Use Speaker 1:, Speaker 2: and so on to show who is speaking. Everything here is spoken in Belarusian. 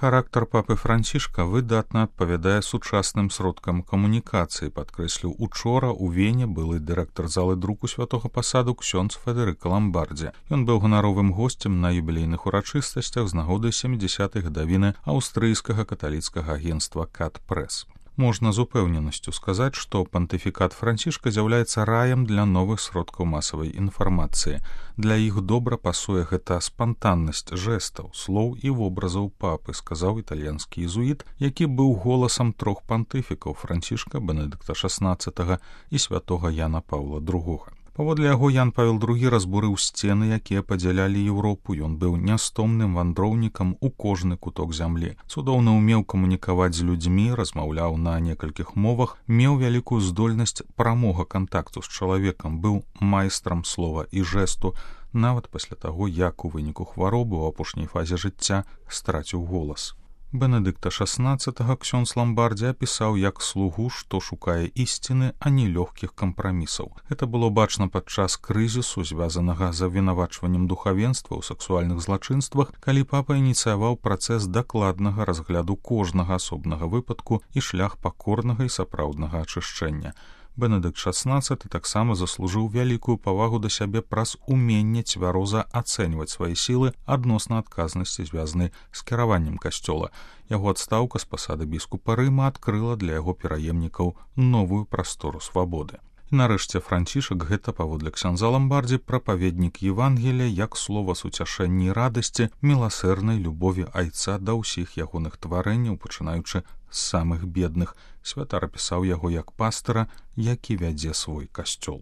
Speaker 1: Характар папы Францішка выдатна адпавядае сучасным сродкам камунікацыі, падкрэсліў учора ў Вене былы дырэктар залы друку святога пасаду ксёндз Федэрыка Ламбардзі. Ён быў ганаровым госцем на юбілейных урачыстасцях з нагоды 70-й гадавіны аўстрыйскага каталіцкага агенцтва «Кат-Прэс». Можна з упэўненасцю сказаць, што пантыфікат Францішка з'яўляецца раем для новых сродкаў масавай інфармацыі. Для іх добра пасуе гэта спантаннасць жэстаў, слоў і вобразаў папы, сказаў італьянскі езуіт, які быў голасам трох пантыфікаў Францішка, Бенедыкта XVI і святога Яна Паўла II. Паводле яго Ян Павел II разбурыў сцены, якія падзялялі Еўропу. Ён быў нястомным вандроўнікам у кожны куток зямлі. Цудоўна ўмеў камунікаваць з людзьмі, размаўляў на некалькіх мовах, меў вялікую здольнасць прамога кантакту з чалавекам, быў майстрам слова і жэсту, нават пасля таго, як у выніку хваробы ў апошняй фазе жыцця страціў голас. Бенедыкта XVI ксёндз Ламбардзі апісаў як слугу, што шукае ісціны, а не лёгкіх кампрамісаў. Гэта было бачна падчас крызісу, звязанага з абвінавачваннем духавенства ў сексуальных злачынствах, калі папа ініцыяваў працэс дакладнага разгляду кожнага асобнага выпадку і шлях пакорнага і сапраўднага ачышчэння. Бенедыкт XVI таксама заслужыў вялікую павагу да сябе праз уменне цвяроза ацэньваць свае сілы адносна адказнасці, звязанай з кіраваннем касцёла. Яго адстаўка з пасады біскупа Рыма адкрыла для яго пераемнікаў новую прастору свабоды. І нарэшце Францішак гэта, паводле ксяндза Ламбардзі, прапаведнік Евангелія як слова суцяшэння і радасці, міласэрнай любові айца да ўсіх ягоных тварэнняў, пачынаючы з самых бедных. Святар апісаў яго як пастыра, які вядзе свой касцёл.